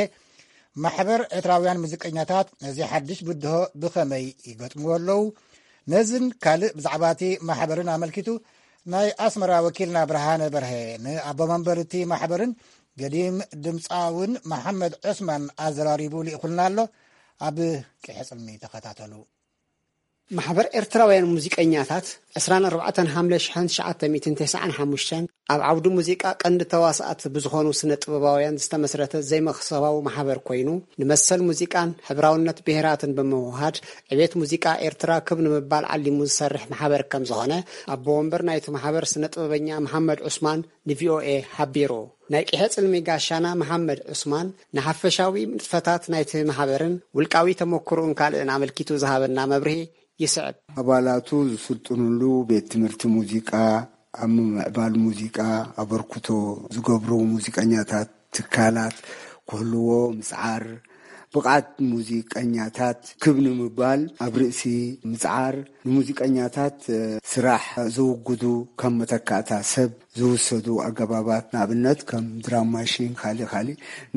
ማሕበር ኤርትራውያን ሙዚቀኛታት ነዚ ሓድሽ ብድሆ ብኸመይ ይገጥምዎ ኣለዉ? ነዝን ካልእ ብዛዕባ እቲ ማሕበርን ኣመልኪቱ ናይ ኣስመራ ወኪልና ብርሃነ በርሀ ንኣቦ መንበር እቲ ማሕበርን ገዲም ድምፃውን መሓመድ ዑስማን ኣዘራሪቡ ልኢኹልና ኣሎ። ኣብ ቅሐ ጽልሚ ተኸታተሉ። ማሕበር ኤርትራውያን ሙዚቀኛታት ዕስራን ኣርባዕተን ሓምለ ሽሕን ትሽዓተ ሚእትን ተስዓን ሓሙሽተን ኣብ ዓውዲ ሙዚቃ ቀንዲ ተዋሳኣት ብዝኾኑ ስነ ጥበባውያን ዝተመስረተ ዘይመኽሰባዊ ማሕበር ኮይኑ፣ ንመሰል ሙዚቃን ሕብራውነት ብሄራትን ብምውሃድ ዕቤት ሙዚቃ ኤርትራ ክብ ንምባል ዓሊሙ ዝሰርሕ ማሕበር ከም ዝኾነ ኣቦ ወንበር ናይቲ ማሕበር ስነ ጥበበኛ መሓመድ ዑስማን ንቪኦኤ ሓቢሩ። ናይ ቅሐ ጽልሚ ጋሻና መሓመድ ዑስማን ንሓፈሻዊ ንጥፈታት ናይቲ ማሕበርን ውልቃዊ ተመክሮኡን ካልእን ኣመልኪቱ ዝሃበና መብርሂ ይስዕብ። ኣባላቱ ዝስልጥኑሉ ቤት ትምህርቲ ሙዚቃ፣ ኣብ ምምዕባል ሙዚቃ ኣበርክቶ ዝገብሩ ሙዚቀኛታት ትካላት ክህልዎ ምጽዓር፣ ብቕዓት ሙዚቀኛታት ክብ ንምባል ኣብ ርእሲ ምጽዓር፣ ንሙዚቀኛታት ስራሕ ዝውግዱ ከም መተካእታ ሰብ ዝውሰዱ ኣገባባት፣ ንኣብነት ከም ድራም ማሽን፣ ካሊ ካሊ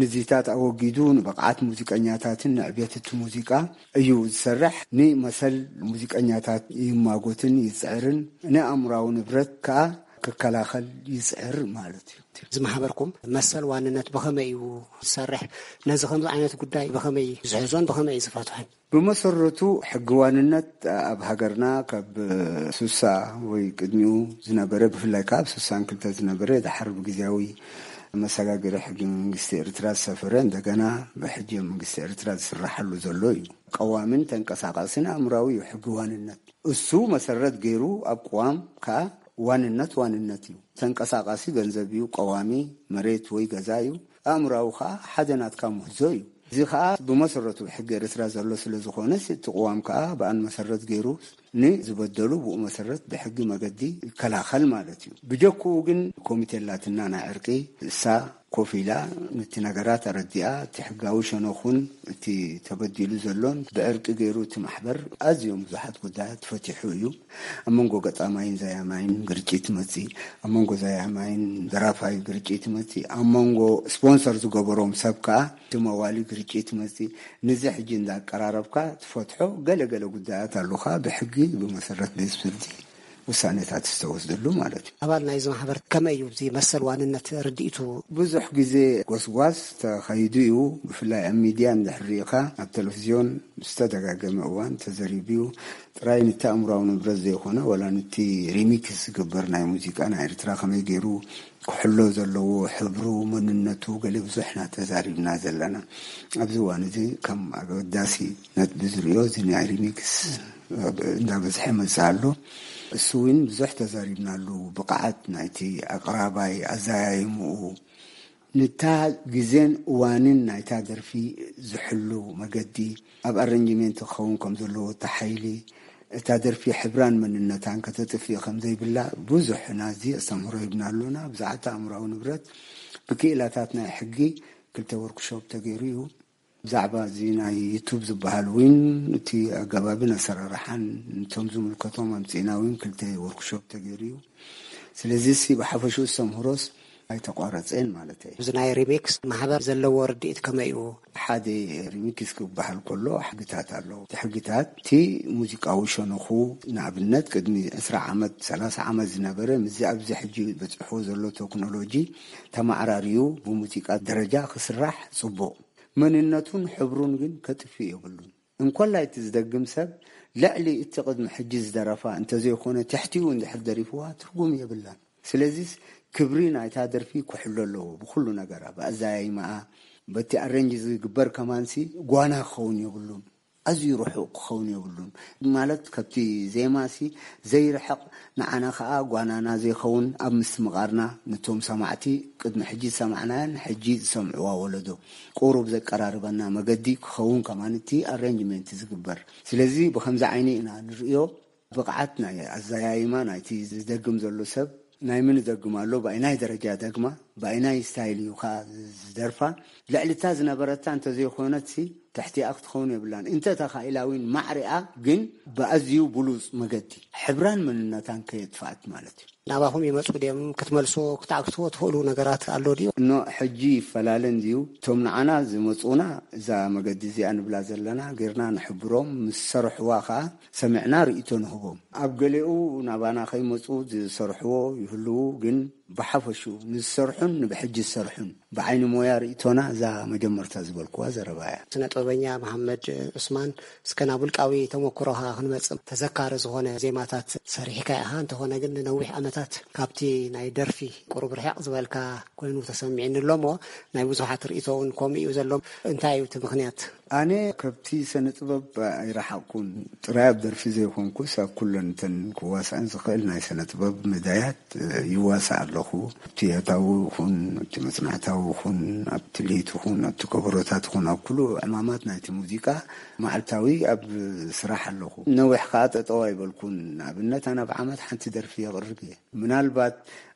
ንዚታት ኣወጊዱ ንብቕዓት ሙዚቀኛታትን ንዕቤት እቲ ሙዚቃ እዩ ዝሰርሕ። ንመሰል ሙዚቀኛታት ይማጎትን ይጽዕርን፣ ንኣእምራዊ ንብረት ከኣ ክከላኸል ይጽዕር ማለት እዩ። እዚ ማሕበርኩም መሰል ዋንነት ብኸመይ እዩ ዝሰርሕ? ነዚ ከምዚ ዓይነት ጉዳይ ብኸመይ ዝሕዞን ብኸመይ እዩ ዝፈትሖን? ብመሰረቱ ሕጊ ዋንነት ኣብ ሃገርና ካብ ሱሳ ወይ ቅድሚኡ ዝነበረ፣ ብፍላይ ካብ ሱሳን ክልተ ዝነበረ፣ ድሓር ብግዜያዊ መሰጋገሪ ሕጊ መንግስቲ ኤርትራ ዝሰፈረ፣ እንደገና ብሕጊ መንግስቲ ኤርትራ ዝስራሓሉ ዘሎ እዩ። ቀዋምን ተንቀሳቃስን ኣእምራዊ እዩ ሕጊ ዋንነት። እሱ መሰረት ገይሩ ኣብ ቅዋም ከኣ ዋንነት ዋንነት እዩ። ተንቀሳቃሲ ገንዘብ እዩ፣ ቀዋሚ መሬት ወይ ገዛ እዩ። ኣእምራዊ ከኣ ሓደ ናትካ ምህዞ እዩ። እዚ ከኣ ብመሰረቱ ብሕጊ ኤርትራ ዘሎ ስለ ዝኾነ፣ እቲ ቅዋም ከኣ ብኣን መሰረት ገይሩ ንዝበደሉ ብኡ መሰረት ብሕጊ መገዲ ይከላኸል ማለት እዩ። ብጀክኡ ግን ኮሚቴ ኣላትና ናይ ዕርቂ፣ እሳ ኮፍ ኢላ ነቲ ነገራት ኣረዲኣ፣ እቲ ሕጋዊ ሸነኹን እቲ ተበዲሉ ዘሎን ብዕርቂ ገይሩ እቲ ማሕበር ኣዝዮም ብዙሓት ጉዳያት ፈቲሑ እዩ። ኣብ መንጎ ገጣማይን ዘያማይን ግርጭት መጺእ፣ ኣብ መንጎ ዘያማይን ደራፋይ ግርጭት መጺእ፣ ኣብ መንጎ ስፖንሰር ዝገበሮም ሰብ ከኣ እቲ መዋሊ ግርጭት መጺእ፣ ንዚ ሕጂ እንዳቀራረብካ ትፈትሖ ገለ ገለ ጉዳያት ኣሉኻ ብሕጊ ብመሰረት ቤት ፍርዲ ውሳኔታት ዝተወስደሉ ማለት እዩ። ኣባል ናይዚ ማሕበር ከመይ እዩ እዚ መሰል ዋንነት ርድኢቱ? ብዙሕ ግዜ ጎስጓስ ተኸይዱ እዩ። ብፍላይ ኣብ ሚድያ እንድሕር ርኢኻ፣ ኣብ ቴሌቪዝዮን ብዝተደጋገመ እዋን ተዘሪቡ እዩ። ጥራይ ነቲ ኣእምራዊ ንብረት ዘይኮነ፣ ዋላ ነቲ ሪሚክስ ዝግበር ናይ ሙዚቃ ናይ ኤርትራ ከመይ ገይሩ ክሕሎ ዘለዎ፣ ሕብሩ፣ መንነቱ፣ ገለ ብዙሕ ኢና ተዛሪብና ዘለና። ኣብዚ እዋን እዚ ከም ኣገዳሲ ነጥቢ ዝርእዮ፣ እዚ ናይ ሪሚክስ እንዳበዝሐ መጽእ ኣሎ። እሱ እውን ብዙሕ ተዛሪብናሉ። ብቕዓት ናይቲ ኣቕራባይ፣ ኣዘያይምኡ፣ ነታ ግዜን እዋንን ናይታ ደርፊ ዝሕሉ መገዲ፣ ኣብ ኣረንጅሜንት ክኸውን ከም ዘለዎ፣ እታ ሓይሊ፣ እታ ደርፊ ሕብራን መንነታን ከተጥፍእ ከም ዘይብላ ብዙሕ ናዚ ኣስተምህሮ ሂብና ኣሎና። ብዛዕባ ኣእምራዊ ንብረት ብክኢላታት ናይ ሕጊ ክልተ ወርክሾፕ ተገይሩ እዩ። ብዛዕባ እዚ ናይ ዩቱብ ዝበሃል እውን፣ እቲ ኣገባብን ኣሰራርሓን፣ ነቶም ዝምልከቶም ኣምጺእና እውን ክልተ ወርክሾፕ ተገይሩ እዩ። ስለዚ ሲ ብሓፈሽኡ ዝተምህሮስ ኣይተቋረጸን ማለት እዩ። እዚ ናይ ሪሚክስ ማሕበር ዘለዎ ርድኢት ከመይ እዩ? ሓደ ሪሚክስ ክበሃል ከሎ ሕግታት ኣለዎ። እቲ ሕግታት፣ እቲ ሙዚቃዊ ሸነኹ፣ ንኣብነት ቅድሚ ዕስራ ዓመት፣ ሰላሳ ዓመት ዝነበረ፣ ምስዚ ኣብዚ ሕጂ በጺሕዎ ዘሎ ቴክኖሎጂ ተመዓራርዩ ብሙዚቃ ደረጃ ክስራሕ ጽቡቕ። መንነቱን ሕብሩን ግን ከጥፍእ የብሉን። እንኮላይ እቲ ዝደግም ሰብ ልዕሊ እቲ ቅድሚ ሕጂ ዝደረፋ እንተዘይኮነ፣ ትሕቲኡ እንድሕር ደሪፍዋ ትርጉም የብላን። ስለዚስ ክብሪ ናይታ ደርፊ ክሕሎ ኣለዎ ብኹሉ ነገራ፣ ብኣዘያይማኣ፣ በቲ ኣሬንጅ ዝግበር ከማንሲ ጓና ክኸውን የብሉን። ኣዝዩ ርሑቕ ክኸውን የብሉን። ማለት ካብቲ ዜማሲ ዘይርሕቕ፣ ንዓና ከኣ ጓናና ዘይኸውን፣ ኣብ ምስትምቓርና ነቶም ሰማዕቲ፣ ቅድሚ ሕጂ ዝሰማዕናያን ሕጂ ዝሰምዕዋ ወለዶ ቁሩብ ዘቀራርበና መገዲ ክኸውን ከማን እቲ ኣሬንጅመንት ዝግበር። ስለዚ ብኸምዚ ዓይኒ ኢና ንርእዮ። ብቕዓት ናይ ኣዘያይማ ናይቲ ዝደግም ዘሎ ሰብ፣ ናይ ምን ይደግም ኣሎ፣ ብኣይናይ ደረጃ ደግማ፣ ብኣይናይ ስታይል እዩ ከኣ ዝደርፋ፣ ልዕሊ እታ ዝነበረታ እንተዘይኮነትሲ ትሕቲኣ ክትኸውን የብላን። እንተ ተኻኢላ እውን ማዕሪኣ፣ ግን ብኣዝዩ ብሉጽ መገዲ ሕብራን መንነታን ከየጥፍኣት ማለት እዩ። ናባኹም ይመጹ ድዮም? ክትመልስዎ፣ ክትዓግትዎ ትኽእሉ ነገራት ኣሎ ድዩ? እኖ ሕጂ ይፈላለ እንድዩ። እቶም ንዓና ዝመጹና፣ እዛ መገዲ እዚኣ ንብላ ዘለና ጌርና ንሕብሮም፣ ምስ ሰርሕዋ ከኣ ሰሚዕና ርእይቶ ንህቦም። ኣብ ገሊኡ ናባና ከይመጹ ዝሰርሕዎ ይህልዉ፣ ግን ብሓፈሹ ንዝሰርሑን ንብሕጂ ዝሰርሑን ብዓይኒ ሞያ ርእቶና እዛ መጀመርታ ዝበልኩዋ ዘረባ እያ። ስነ ጥበበኛ መሓመድ ዑስማን፣ እስከ ናብ ውልቃዊ ተመኩሮኻ ክንመጽእ። ተዘካሪ ዝኾነ ዜማታት ሰሪሕካ ኢኻ፣ እንተኾነ ግን ንነዊሕ ዓመታት ካብቲ ናይ ደርፊ ቁሩብ ርሕቕ ዝበልካ ኮይኑ ተሰሚዕኒ ኣሎ እሞ፣ ናይ ብዙሓት ርእቶ እውን ከምኡ እዩ ዘሎ። እንታይ እዩ እቲ ምኽንያት? ኣነ ካብቲ ስነ ጥበብ ኣይረሓቕኩን። ጥራይ ኣብ ደርፊ ዘይኮንኩስ ኣብ ኩለን እተን ክዋሳእን ዝኽእል ናይ ስነ ጥበብ መዳያት ይዋሳእ ኣለኹ። ኣብቲ ያታዊ ይኹን ኣብቲ መጽናዕታዊ ይኹን ኣብቲ ልሂት ይኹን ኣብቲ ከበሮታት ይኹን ኣብ ኩሉ ዕማማት ናይቲ ሙዚቃ መዓልታዊ ኣብ ስራሕ ኣለኹ። ነዊሕ ከኣ ጠጠው ኣይበልኩን። ንኣብነት ኣነ ኣብ ዓመት ሓንቲ ደርፊ የቕርብ እየ። ምናልባት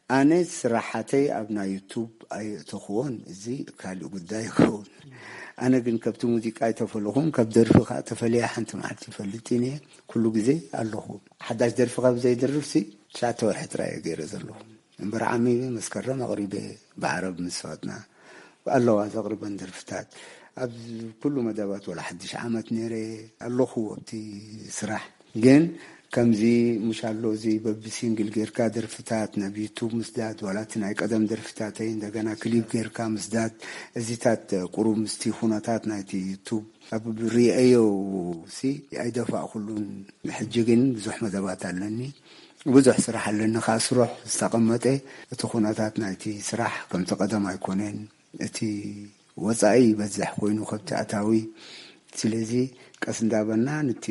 ኣነ ስራሓተይ ኣብ ናይ ዩቱብ ኣየእተኽዎን፣ እዚ ካልእ ጉዳይ ይኸውን። ኣነ ግን ከብቲ ሙዚቃ ኣይተፈለኹን፣ ካብ ደርፊ ከኣ ተፈልየ ሓንቲ መዓልቲ ይፈልጥን እየ። ኩሉ ግዜ ኣለኹ። ሓዳሽ ደርፊ ካብ ዘይድርፍሲ ትሽዓተ ወርሒ ጥራይ እየ ገይረ ዘለኹ። እምበር ዓሚመ መስከረም ኣቕሪበ፣ ብዓረብ ምስ ፈቐድና ኣለዋ ዘቕርበን ደርፍታት። ኣብ ኩሉ መደባት ወላ ሓድሽ ዓመት ነይረ ኣለኹ ኣብቲ ስራሕ። ግን ከምዚ ምሽ ኣሎ እዚ በቢ ሲንግል ጌርካ ደርፍታት ናብ ዩቱብ ምስዳድ፣ ዋላ እቲ ናይ ቀደም ደርፍታተይ እንደገና ክሊፕ ጌርካ ምስዳድ፣ እዚታት ቁሩብ ምስቲ ኩነታት ናይቲ ዩቱብ ኣብ ሪአዮ ሲ ኣይደፋእኩሉን። ሕጂ ግን ብዙሕ መደባት ኣለኒ፣ ብዙሕ ስራሕ ኣለኒ። ከኣ ስሩሕ ዝተቐመጠ እቲ ኩነታት ናይቲ ስራሕ ከምቲ ቀደም ኣይኮነን። እቲ ወጻኢ ይበዝሕ ኮይኑ ከብቲ ኣታዊ። ስለዚ ቀስ እንዳበልና ነቲ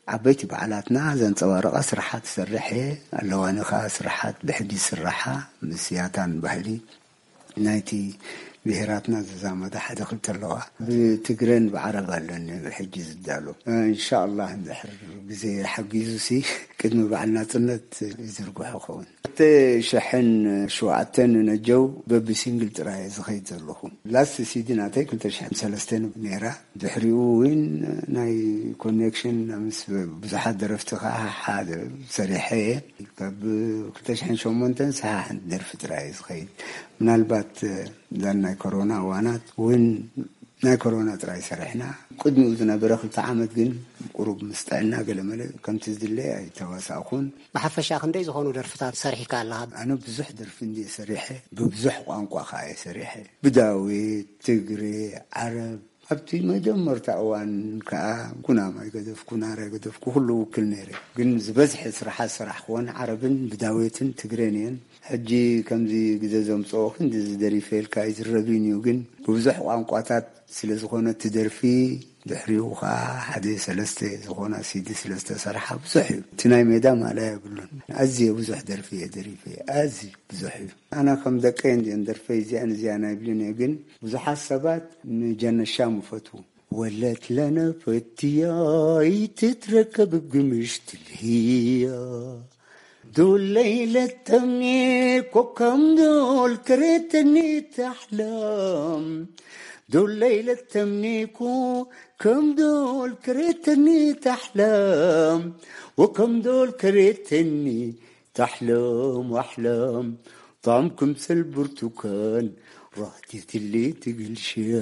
ዓበይቲ በዓላትና ዘንጸባረቐ ስራሓት እሰርሕ እየ። ኣለዋኒ ከኣ ስራሓት ብሕጂ ዝስራሓ ምስ ያታን ባህሊ ናይቲ ብሄራትና ዝዛመደ ሓደ ክልተ ኣለዋ። ብትግረን ብዓረብ ኣለኒ ብሕጂ ዝዳሎ። እንሻላህ እንድሕር ግዜ ሓጊዙ ሲ ቅድሚ በዓል ናጽነት ይዝርግሖ ኸውን። ክልተ ሽሕን ሸውዓተን ነጀው በቢ ሲንግል ጥራይ ዝኸይድ ዘለኹ። ላስት ሲዲ ናተይ ክልተ ሽሕን ሰለስተን ነይራ። ድሕሪኡ እውን ናይ ኮኔክሽን ምስ ብዙሓት ደረፍቲ ከዓ ሓደ ሰሪሐ እየ። ካብ ክልተ ሽሕን ሸሞንተን ሰሓ ሓንቲ ደርፊ ጥራይ እዩ ዝኸይድ። ምናልባት እዛን ናይ ኮሮና እዋናት እውን ናይ ኮሮና ጥራይ ሰሪሕና። ቅድሚኡ ዝነበረ ክልተ ዓመት ግን ቁሩብ ምስ ጥዕና ገለመለ ከምቲ ዝድለ ኣይተዋሳእኩን። ብሓፈሻ ክንደይ ዝኾኑ ደርፍታት ሰሪሕካ ኣለኻ? ኣነ ብዙሕ ደርፊ እንድየ ሰሪሐ፣ ብብዙሕ ቋንቋ ከዓ እየ ሰሪሐ። ብዳዊት፣ ትግሬ፣ ዓረብ። ኣብቲ መጀመርታ እዋን ከዓ ኩናም ኣይገደፍኩ፣ ናር ኣይገደፍኩ፣ ኩሉ ውክል ነይረ። ግን ዝበዝሐ ስራሓት ዝሰራሕክወን ዓረብን ብዳዌትን ትግሬን እየን። ሕጂ ከምዚ ግዜ ዘምጽኦ ክንዲ ዝደሪፈ ኢልካ ኣይዝረብን እዩ፣ ግን ብብዙሕ ቋንቋታት ስለ ዝኾነ እቲ ደርፊ ድሕሪኡ ከዓ ሓደ ሰለስተ ዝኾና ሲዲ ስለ ዝተሰርሓ ብዙሕ እዩ። እቲ ናይ ሜዳ ማእለያ የብሉን። ኣዝየ ብዙሕ ደርፊ እየ ደሪፈ፣ ኣዝዩ ብዙሕ እዩ። ኣነ ከም ደቀይ እንድየን ደርፈይ እዚኣን እዚኣን ኣይብልን እየ፣ ግን ብዙሓት ሰባት ንጀነሻም ይፈትዉ። ወለት ለነ ፈትያ ይትትረከብ ብምሽት ልህያ ዱለይ ለተምኒ ኮከም ዱል ክሬተኒ ተሕለም ዱለይ ለተምኒ ኮከም ዱል ክሬተኒ ተሕለም ወከም ዱል ክሬተኒ ተሕለም ዋሕለም ጣም ክምሰል ብርቱካን ራህቲትሊ ትግልሽያ።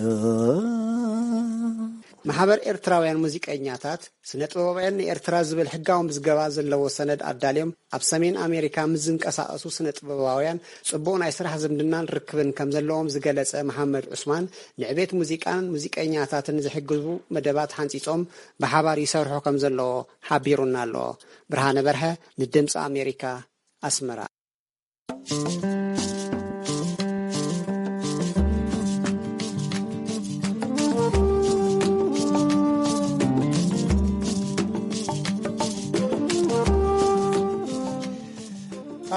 ማሕበር ኤርትራውያን ሙዚቀኛታት ስነ ጥበባውያን ንኤርትራ ዝብል ሕጋዊ ምዝገባ ዘለዎ ሰነድ ኣዳልዮም ኣብ ሰሜን ኣሜሪካ ምስ ዝንቀሳቐሱ ስነ ጥበባውያን ጽቡቕ ናይ ስራሕ ዝምድናን ርክብን ከም ዘለዎም ዝገለጸ መሓመድ ዑስማን፣ ንዕቤት ሙዚቃን ሙዚቀኛታትን ዝሕግዙ መደባት ሓንጺጾም ብሓባር ይሰርሑ ከም ዘለዎ ሓቢሩና ኣሎ። ብርሃነ በርሀ ንድምፂ ኣሜሪካ ኣስመራ።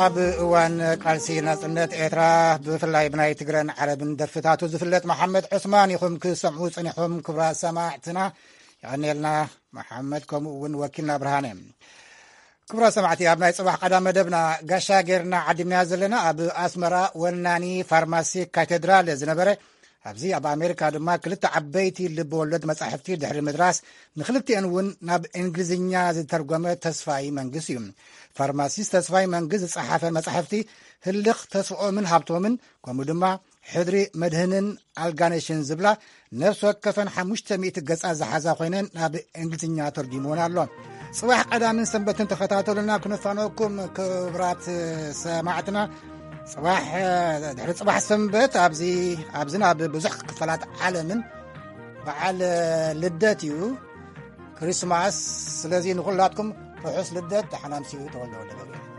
ኣብ እዋን ቃልሲ ናጽነት ኤርትራ ብፍላይ ብናይ ትግረን ዓረብን ደርፍታቱ ዝፍለጥ መሓመድ ዑስማን ኢኹም ክሰምዑ ጸኒሖም። ክብራት ሰማዕትና የቐንየልና መሓመድ፣ ከምኡ እውን ወኪልና ብርሃነ። ክቡራት ሰማዕቲ፣ ኣብ ናይ ጽባሕ ቀዳም መደብና ጋሻ ጌርና ዓዲምና ዘለና ኣብ ኣስመራ ወናኒ ፋርማሲ ካቴድራል ዝነበረ፣ ኣብዚ ኣብ ኣሜሪካ ድማ ክልተ ዓበይቲ ልብ ወለድ መጻሕፍቲ ድሕሪ ምድራስ ንክልቲአን እውን ናብ እንግሊዝኛ ዝተርጎመ ተስፋይ መንግስ እዩ። ፋርማሲስት ተስፋይ መንግስ ዝጸሓፈን መጻሕፍቲ ህልኽ ተስፍኦምን ሃብቶምን ከምኡ ድማ ሕድሪ መድህንን ኣልጋነሽን ዝብላ ነፍሲ ወከፈን ሓሙሽተ ሚእቲ ገጻት ዝሓዛ ኮይነን ናብ እንግሊዝኛ ተርጉምወን ኣሎ። ጽባሕ ቀዳምን ሰንበትን ተኸታተሉና ክንፋነወኩም ክቡራት ሰማዕትና። ጽባሕ፣ ድሕሪ ጽባሕ ሰንበት ኣብዚ፣ ኣብዚ ናብ ብዙሕ ክፋላት ዓለምን በዓል ልደት እዩ፣ ክሪስማስ። ስለዚ ንኹላትኩም ርሑስ ልደት፣ ደሓን ኣምስዩ ተወልደ ወልደገብርኤል።